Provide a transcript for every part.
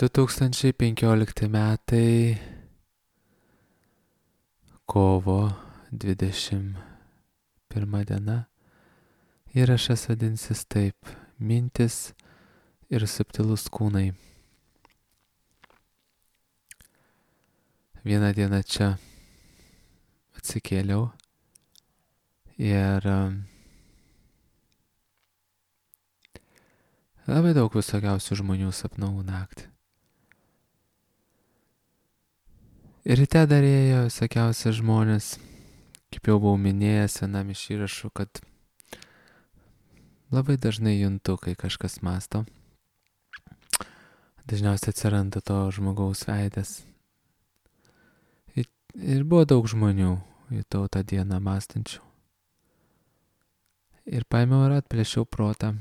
2015 metai, kovo 21 diena. Įrašas vadinsis taip: mintis ir subtilūs kūnai. Vieną dieną čia atsikėliau ir labai daug visokiausių žmonių sapnavau naktį. Ir ryte dar ėjo visokiausi žmonės, kaip jau buvau minėjęs vienam iš įrašų, kad labai dažnai juntu, kai kažkas mąsto. Dažniausiai atsiranda to žmogaus veidas. Ir buvo daug žmonių, jutau tą dieną mąstančių. Ir paėmiau ir atplėšiau protą.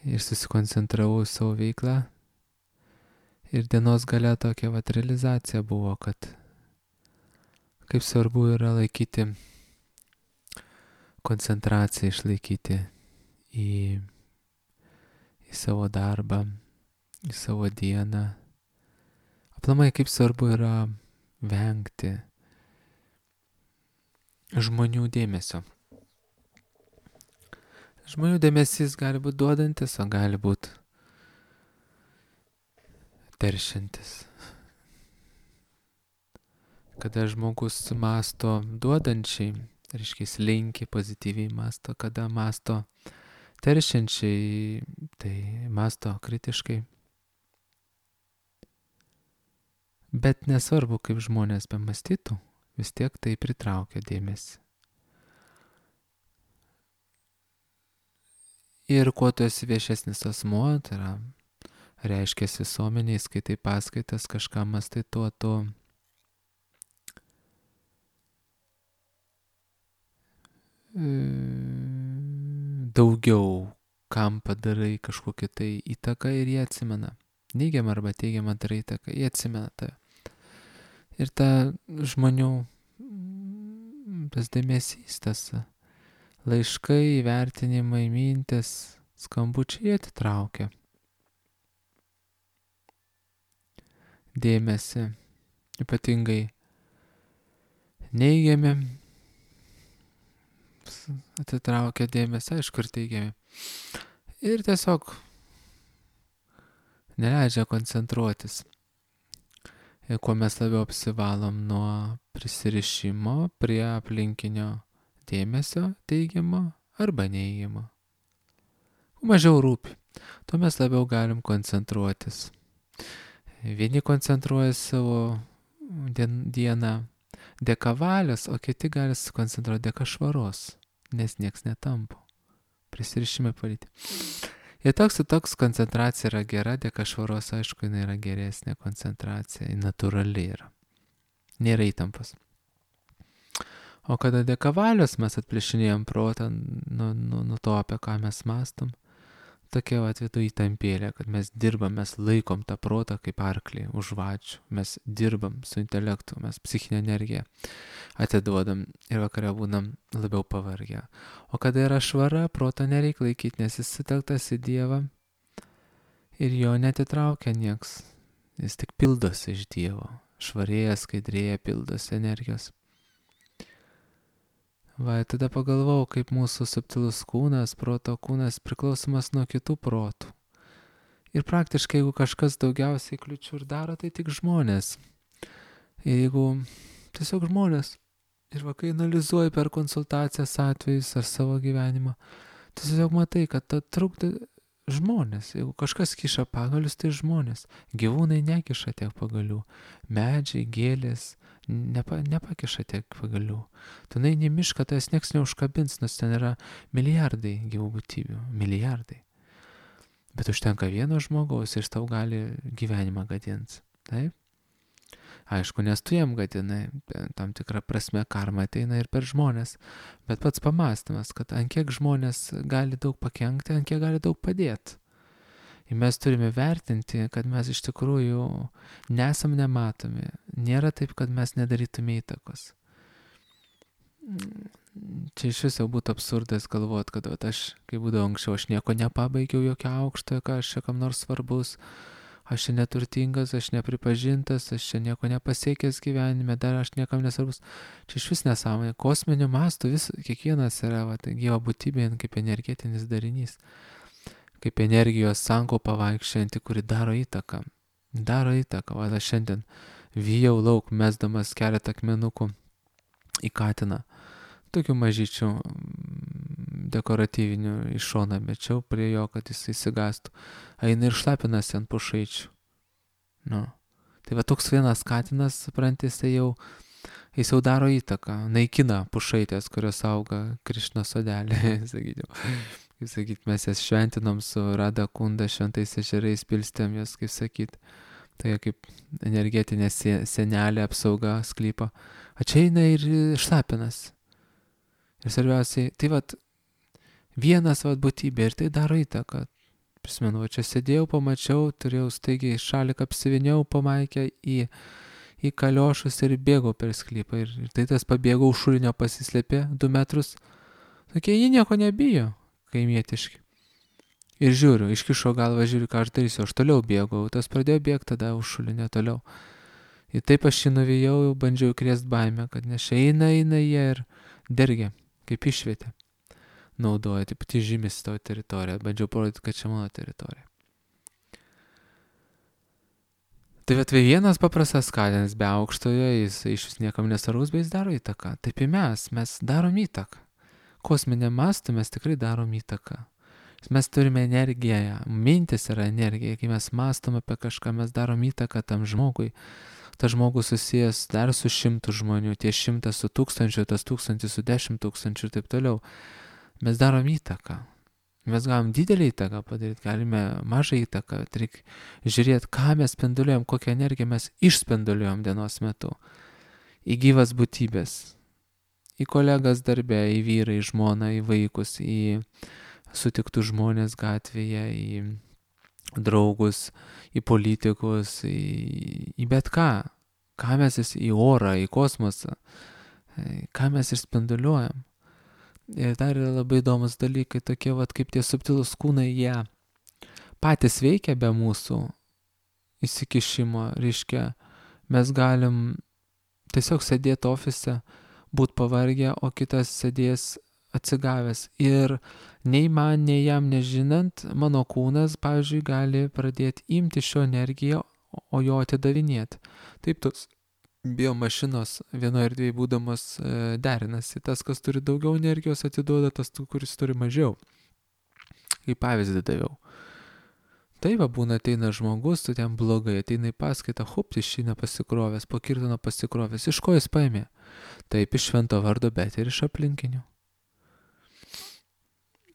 Ir susikoncentravau į savo veiklą. Ir dienos gale tokia realizacija buvo, kad kaip svarbu yra laikyti koncentraciją, išlaikyti į savo darbą, į savo dieną. Aplamai, kaip svarbu yra vengti žmonių dėmesio. Žmonių dėmesys gali būti duodantis, o gali būti teršiantis. Kada žmogus mąsto duodančiai, reiškia linki pozityviai mąsto, kada mąsto teršiančiai, tai mąsto kritiškai. Bet nesvarbu, kaip žmonės bemąstytų, vis tiek tai pritraukia dėmesį. Ir kuo tu esi viešesnis asmuo, tai yra reiškės visuomeniai, skaitai paskaitas, kažką mąstai, tuo tu daugiau kam padarai kažkokią tai įtaką ir jie atsimena. Neigiamą arba teigiamą darai įtaką, jie atsimena tave. Ir ta žmonių tas dėmesys, tas laiškai, įvertinimai, mintis, skambučiai, jie atitraukia dėmesį, ypatingai neigiami, atitraukia dėmesį, aišku, ir teigiami. Ir tiesiog neleidžia koncentruotis. Ir kuo mes labiau apsivalom nuo prisirišimo prie aplinkinio dėmesio teigiamo arba neigiamo, mažiau rūpi, tuo mes labiau galim koncentruotis. Vieni koncentruoja savo dieną dėka valios, o kiti gali sukoncentruoti dėka švaros, nes nieks netampo. Prisirišime palyti. Ir toks koncentracija yra gera, dėka švaros, aišku, jinai yra geresnė koncentracija, natūrali yra. Nėra įtampos. O kada dėka valios mes atplėšinėjom protą nuo to, apie ką mes mąstom, tokia atvedu įtampėlė, kad mes dirbam, mes laikom tą protą kaip arklį už vačių, mes dirbam su intelektu, mes psichinę energiją atiduodam ir vakare būnam labiau pavargę. O kada yra švara, protą nereikia laikyti, nes jis sutelktas į Dievą ir jo netitraukia nieks. Jis tik pildosi iš Dievo, švarėja, skaidrėja, pildosi energijos. Va, tada pagalvojau, kaip mūsų subtilus kūnas, proto kūnas priklausomas nuo kitų protų. Ir praktiškai, jeigu kažkas daugiausiai kliučių ir daro, tai tik žmonės. Ir jeigu tiesiog žmonės, ir va, kai analizuoji per konsultacijas atvejus ar savo gyvenimą, tu tiesiog matai, kad ta trukdo žmonės. Jeigu kažkas kiša pagalius, tai žmonės. Gyvūnai nekiša tiek pagalių. Medžiai, gėlės nepakiša tiek pagalių. Tu nueini į mišką, tai nieks neužkabins, nes ten yra milijardai gyvų būtybių. Milijardai. Bet užtenka vieno žmogaus ir tau gali gyvenimą gadinti. Taip? Aišku, nes tu jam gadinai, tam tikrą prasme karma ateina ir per žmonės. Bet pats pamąstymas, kad ant kiek žmonės gali daug pakenkti, ant kiek gali daug padėti. Ir mes turime vertinti, kad mes iš tikrųjų nesam nematomi. Nėra taip, kad mes nedarytume įtakos. Čia iš viso būtų absurdas galvot, kad vat, aš, kai būdavo anksčiau, aš nieko nepabaigiau, jokio aukštojo, ką aš čia kam nors svarbus, aš čia neturtingas, aš nepripažintas, aš čia nieko nepasiekęs gyvenime, dar aš niekam nesvarbus. Čia iš vis nesąmonė. Kosminiu mastu kiekvienas yra gyva būtybė kaip energetinis darinys, kaip energijos sankaupa vaikščianti, kuri daro įtaką. Daro įtaką. Va, aš šiandien vyjau lauk, mesdamas keletą akmenukų į katiną. Tokių mažyčių dekoratyvinių iš šoną mečiau prie jo, kad jis įsigastų. Eina ir šlapinasi ant pušaičių. Nu. Tai va toks vienas katinas, suprantis, jis jau daro įtaką, naikina pušaitės, kurios auga Krišnos sodelį, sakyčiau. Kaip sakyt, mes jas šventinom su Rada Kunda, šventais ežerais pilstėm jas, kaip sakyt. Tai kaip energetinė senelė apsauga sklypo. O čia eina ir šlapinas. Ir svarbiausiai, tai vat vienas būtybė ir tai daro įtaką. Prisimenu, čia sėdėjau, pamačiau, turėjau staigiai šaliką apsiviniau pamaikę į kaliošus ir bėgau per sklypą. Ir tai tas pabėgau šulinio pasislėpė 2 metrus. Tokie, jie nieko nebijo, kaimietiški. Ir žiūriu, iškišo galvą, žiūriu, ką aš darysiu. Aš toliau bėgau, tas pradėjo bėgti tada už šulinio toliau. Ir taip aš jį nuvijau, bandžiau krėst baimę, kad nes eina jie ir dergia, kaip išvietė. Naudoja, taip pat žymis tavo teritoriją. Bandžiau parodyti, kad čia mano teritorija. Tai vienas paprastas katinas be aukštojo, jis iš vis niekam nesvarbus, bet jis daro įtaką. Taip ir mes darom įtaką. Kosminiam mastu mes tikrai darom įtaką. Mes turime energiją, mintis yra energija, kai mes mąstom apie kažką, mes darom įtaką tam žmogui. Tas žmogus susijęs dar su 100 žmonių, tie 100 su 1000, tas 1000 su 10 000 ir taip toliau. Mes darom įtaką. Mes galim didelį įtaką padaryti, galime mažą įtaką. Reikia žiūrėti, ką mes spinduliuojam, kokią energiją mes išspinduliuojam dienos metu. Į gyvas būtybės, į kolegas darbe, į vyrą, į žmoną, į vaikus, į sutiktų žmonės gatvėje, į draugus, į politikus, į bet ką. Ką mes į orą, į kosmosą, ką mes išspinduliuojam. Ir dar yra labai įdomus dalykai, tokie kaip tie subtilūs kūnai, jie patys veikia be mūsų įsikišimo. Reiškia, mes galim tiesiog sėdėti ofise, būt pavargę, o kitas sėdės atsigavęs. Ir nei man, nei jam nežinant, mano kūnas, pavyzdžiui, gali pradėti imti šio energiją, o jo atidavinėti. Taip tos biomašinos vienoje erdvėje būdamas derinasi. Tas, kas turi daugiau energijos, atiduoda tas, kuris turi mažiau. Kaip pavyzdį daviau. Taip, būna ateina žmogus, tu ten blogai, ateina į paskaitą, išeina pasikrovęs, po kirtino pasikrovęs. Iš ko jis paėmė? Taip, iš švento vardo, bet ir iš aplinkinių.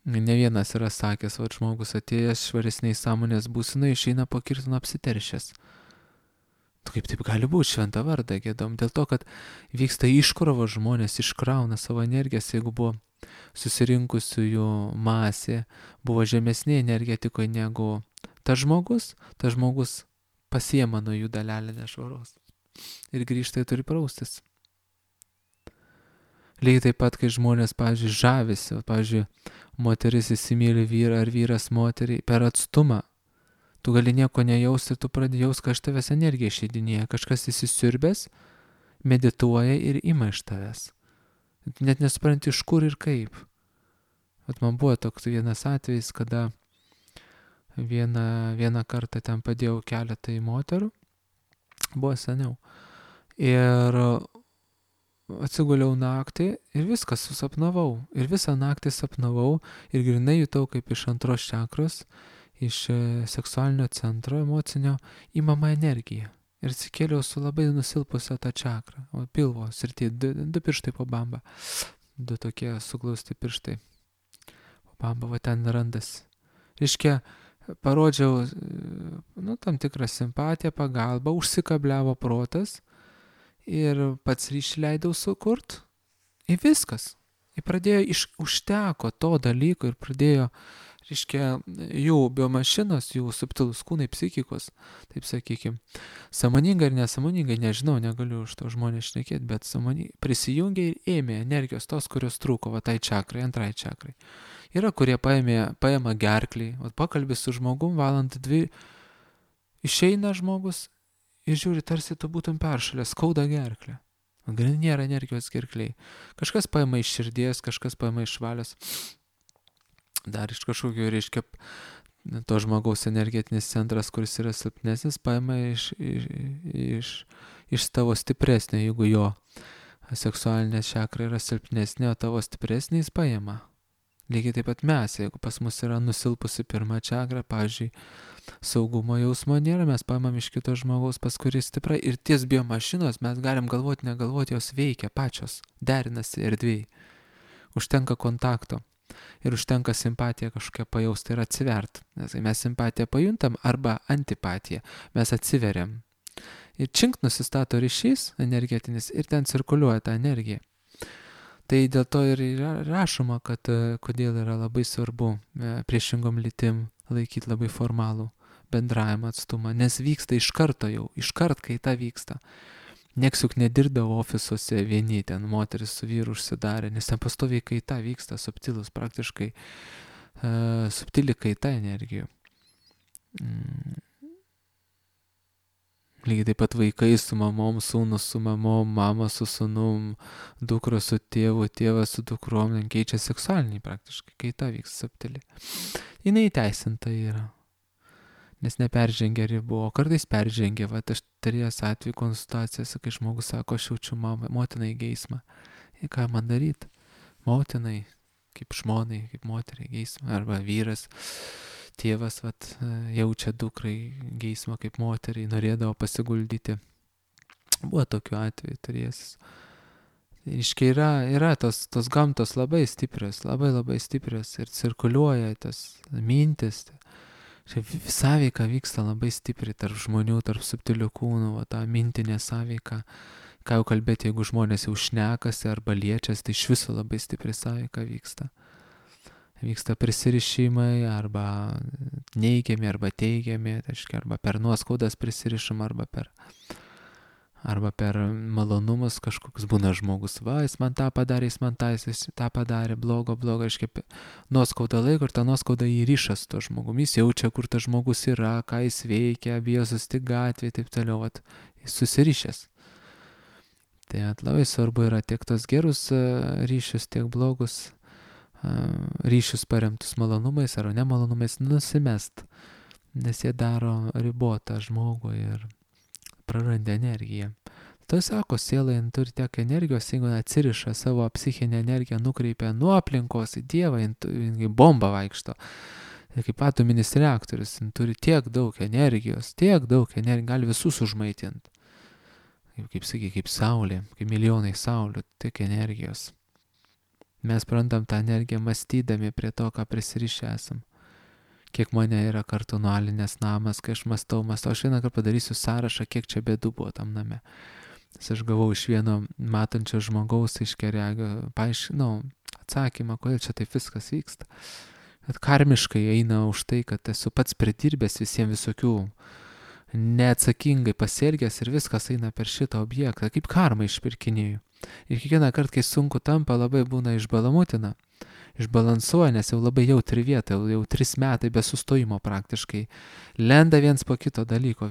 Ne vienas yra sakęs, žmogus atėjęs švaresniai sąmonės būsenai, išeina po kirtino apsiteršęs. Kaip taip gali būti, šventą vardą gėdom? Dėl to, kad vyksta iškrova, žmonės iškrauna savo energijas, jeigu buvo susirinkusiųjų masė, buvo žemesnė energetikoje negu tas žmogus pasiema nuo jų dalelę nešvaros ir grįžta ir turi praustis. Lygiai taip pat, kai žmonės, pavyzdžiui, žavisi, pavyzdžiui, moteris įsimyli vyrą ar vyras moterį per atstumą. Tu gali nieko nejausti, tu pradedi jausti, kad iš tavęs energija išeidinėja. Kažkas įsisiurbęs, medituoja ir ima iš tavęs. Net nesupranti iš kur ir kaip. Man buvo toks vienas atvejis, kada vieną kartą ten padėjau keletą moterų. Buvo seniau. Ir atsiguliau naktį ir viskas susapnavau. Ir visą naktį sapnavau ir grinai jutau kaip iš antros čakros, iš seksualinio centro emocinio įmama energija. Ir atsikėliau su labai nusilpusią tą čakrą. O pilvo srity, 2 pirštai po bamba. 2 tokie suglausti pirštai. Po bamba, ten randasi. Reiškia, parodžiau tam tikrą simpatiją, pagalbą, užsikabliavo protas ir pats ryšį leidau sukurt. Ir viskas. Ir pradėjo, užteko to dalyko ir pradėjo reiškia, jų biomašinos, jų subtilus kūnai, psichikos, taip sakykim, sąmoningai ir nesąmoningai, nežinau, negaliu už to žmonės šnekėti, bet sąmoningai prisijungė ir ėmė energijos tos, kurios trūko, va tai čakrai, antrai čakrai. Yra, kurie paima gerklį, o pakalbė su žmogum, valandą dvi, išeina žmogus ir žiūri, tarsi tu būtum peršalęs, skauda gerklę. Nėra energijos gerkliai. Kažkas paima iš širdies, kažkas paima iš valios. Dar iš kažkokio, reiškia, to žmogaus energetinis centras, kuris yra silpnesnis, paima iš tavo stipresnio, jeigu jo seksualinė čakra yra silpnesnė, o tavo stipresnė jis paima. Lygiai taip pat mes, jeigu pas mus yra nusilpusi pirma čakra, pavyzdžiui, saugumo jausmo nėra, mes paimam iš kito žmogaus, pas kurį stipra ir ties biomašinos mes galim galvoti, negalvoti, jos veikia pačios, derinasi erdvėj. Užtenka kontakto ir užtenka simpatiją kažkokią pajausti ir atsivert. Nes mes simpatiją pajuntam arba antipatiją, mes atsiveriam. Ir čink nusistato ryšys energetinis ir ten cirkuliuoja ta energija. Tai dėl to ir rašoma, kad kodėl yra labai svarbu priešingom lytim laikyti labai formalų bendravimą atstumą, nes vyksta iš karto jau, kai ta vyksta. Nieks juk nedirbdavo ofisuose vieni, ten moteris su vyru užsidarė, nes ten pastoviai kaita vyksta, subtilus, praktiškai subtili kaita energijų. Lygiai taip pat vaikai su mamom, sūnus su mamom, mama su sūnum, dukros su tėvu, tėvas su dukrom, keičia seksualiniai praktiškai, kaita vyksta subtili. Jinai įteisinta yra, nes neperžengia ribų, o kartais peržengia, va aš turėjęs atveju konsultacijas, kai žmogus sako, aš jaučiu motinai geismą. Ir ką man daryti? Motinai, kaip žmonai, kaip moteriai geismą, arba vyras. Tėvas jaučia dukrai geismą kaip moteriai, norėdavo pasiguldyti. Buvo tokiu atveju turėjęs. Iškai yra tos gamtos labai stiprios, labai stiprios ir cirkuliuoja tos mintis. Sąveika vyksta labai stipriai tarp žmonių, tarp subtilių kūnų, ta mintinė sąveika. Ką jau kalbėti, jeigu žmonės jau šnekasi arba liečiasi, tai iš viso labai stipri sąveika vyksta. Vyksta prisirišimai arba neigiami arba teigiami, arba per nuoskaudas prisirišam, arba per malonumus kažkoks būna žmogus. Va, jis man tą padarė, jis man tą padarė, blogo, reiškia, nuoskauda laiko ir ta nuoskauda įriša su to žmogumi. Jis jaučia, kur tas žmogus yra, ką jis veikia, bijo susitikti gatvėje, taip toliau, jis susirišęs. Tai labai svarbu yra tiek tos gerus ryšius, tiek blogus ryšius paremtus malonumais ar nemalonumais nusimest, nes jie daro ribotą žmogų ir praranda energiją. Tai sako, siela turi tiek energijos, jeigu atsiriša savo psichinę energiją, nukreipia nuo aplinkos į Dievą, bomba vaikšto. Ir kaip atominis reaktorius, turi tiek daug energijos, gali visus užmaitinti. Kaip saulė, kaip milijonai saulių, tiek energijos. Mes prarandam tą energiją mąstydami prie to, ką prisirišę esam. Kiek mane yra kartu nualinės namas, kai aš mąstau, aš vieną kartą padarysiu sąrašą, kiek čia bėdų buvo tam name. Nes aš gavau iš vieno matančio žmogaus iš keregio, atsakymą, kodėl čia taip viskas vyksta. Kad karmiškai eina už tai, kad esu pats pridirbęs visiems visokių neatsakingai pasielgęs ir viskas eina per šitą objektą, kaip karmą išpirkinėjau. Ir kiekvieną kartą, kai sunku tampa, labai būna išbalamutina, išbalansuoja, nes jau labai jautri vieta, jau 3 metai be sustojimo praktiškai, lenda viens po kito dalyko,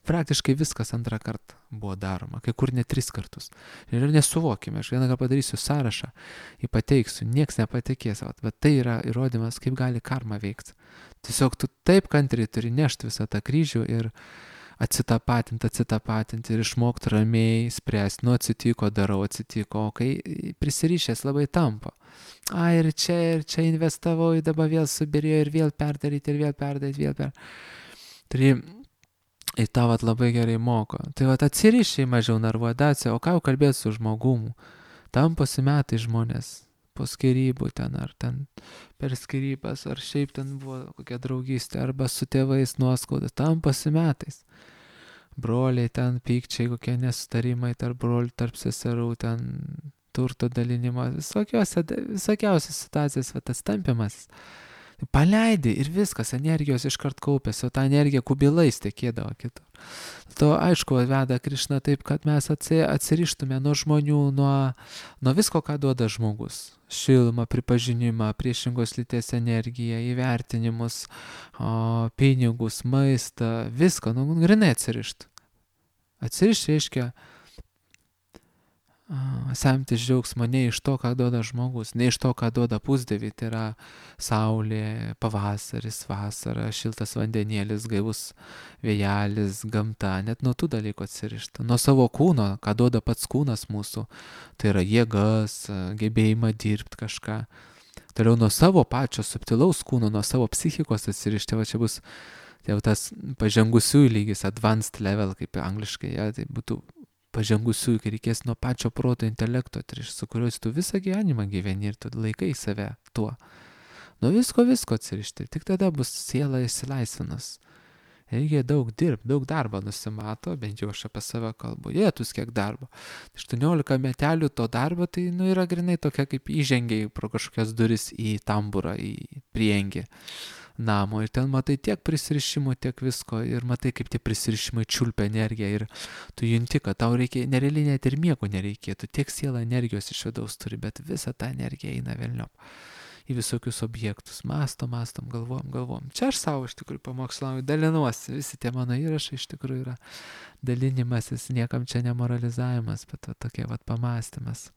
praktiškai viskas antrą kartą buvo daroma, kai kur net 3 kartus. Ir nesuvokime, aš vieną kartą padarysiu sąrašą, jį pateiksiu, nieks nepatikės, bet tai yra įrodymas, kaip gali karma veikti. Tiesiog tu taip kantriai turi nešti visą tą kryžių ir atsitapatinti ir išmokti ramiai spręsti, atsitiko, o kai prisirišęs labai tampa. Ir čia investavau, dabar vėl subirėjo ir vėl perdaryti. Tai į tą labai gerai moko. Tai atsirišiai mažiau narvuodacija, o ką jau kalbėti su žmogumu. Tamposi metai žmonės po skyrybų ten, ar ten per skyrybas, ar šiaip ten buvo kokia draugystė, arba su tėvais nuoskaudas, tamposi metais. Broliai ten pykčiai, kokie nesutarimai tarp brolių, tarp seserų, ten turto dalinimas, visokiausias situacijas, tas tampimas. Paleidi ir viskas, energijos iškart kaupėsi, o ta energija kubilais tekėdavo kitur. To aišku veda Krišna taip, kad mes atsirištume nuo žmonių, nuo visko, ką duoda žmogus. Šilumą, pripažinimą, priešingos lyties energiją, įvertinimus, pinigus, maistą, viską, grinai atsirišt. Atsirišt reiškia semtis džiaugsmo ne iš to, ką duoda žmogus, ne iš to, ką duoda pusdievį, tai yra saulė, pavasaris, vasara, šiltas vandenėlis, gaivus vėjelis, gamta, net nuo tų dalykų atsirišta. Nuo savo kūno, ką duoda pats kūnas mūsų, tai yra jėgas, gebėjimą dirbti kažką. Toliau nuo savo pačio subtilaus kūno, nuo savo psichikos atsirišti, va čia bus jau tas pažengusiųjų lygis, advanced level, kaip angliškai, ja, tai būtų pažengusiųjų, kai reikės nuo pačio proto intelekto, su kuriuos tu visą gyvenimą gyveni ir tu laikai save tuo. Nuo visko atsirišti, tik tada bus siela išsilaisvinus. Reikia daug dirbti, daug darbo nusimato, bent jau aš apie save kalbu, jėtus kiek darbo. 18 metelių to darbo, tai yra grinai tokia kaip įžengiai pro kažkokias duris į tamburą, į priengį namo ir ten matai tiek prisirišimų, tiek visko ir matai, kaip tie prisirišimai čiulpia energiją ir tu junti, kad tau reikia, nerealiai net ir miego nereikėtų, tiek siela energijos iš vidaus turi, bet visa ta energija eina velniop į visokius objektus, mastom, galvom. Čia aš savo iš tikrųjų pamokslauju, dalinuosi, visi tie mano įrašai iš tikrųjų yra dalinimasis, niekam čia nemoralizavimas, bet tokie pamąstymas.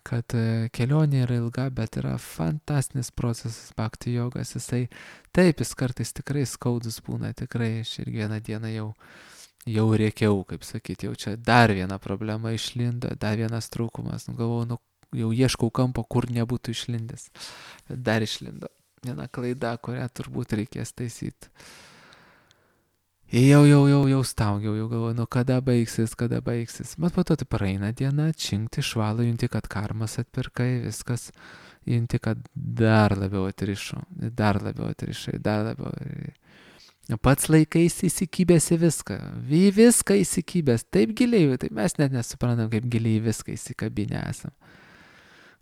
Kad kelionė yra ilga, bet yra fantastinis procesas bhakti jogas, jis kartais tikrai skaudus būna, tikrai aš ir vieną dieną jau rėkiau, kaip sakyti, jau čia dar viena problema išlindo, dar vienas trūkumas, galvojau, jau ieškau kampo, kur nebūtų išlindęs, bet dar išlindo viena klaida, kurią turbūt reikės taisyti. Jau staugiau, jau galvoju, kada baigsis. Bet po to tai praeina diena, činkti, švalą, junti, kad karmas atpirkai, viskas, junti, kad dar labiau atrišai. Pats laikais įsikibęs į viską, taip giliai, tai mes net nesuprantam, kaip giliai viską įsikabinę esam.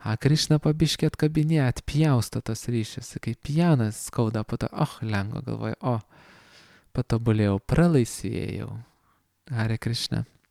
Krišna pabiškė atkabinė, atpjausto tos ryšius, kaip pjanas skauda, po to, lengva galvoju, patobulėjau, pralaisvėjau. Hare Krishna.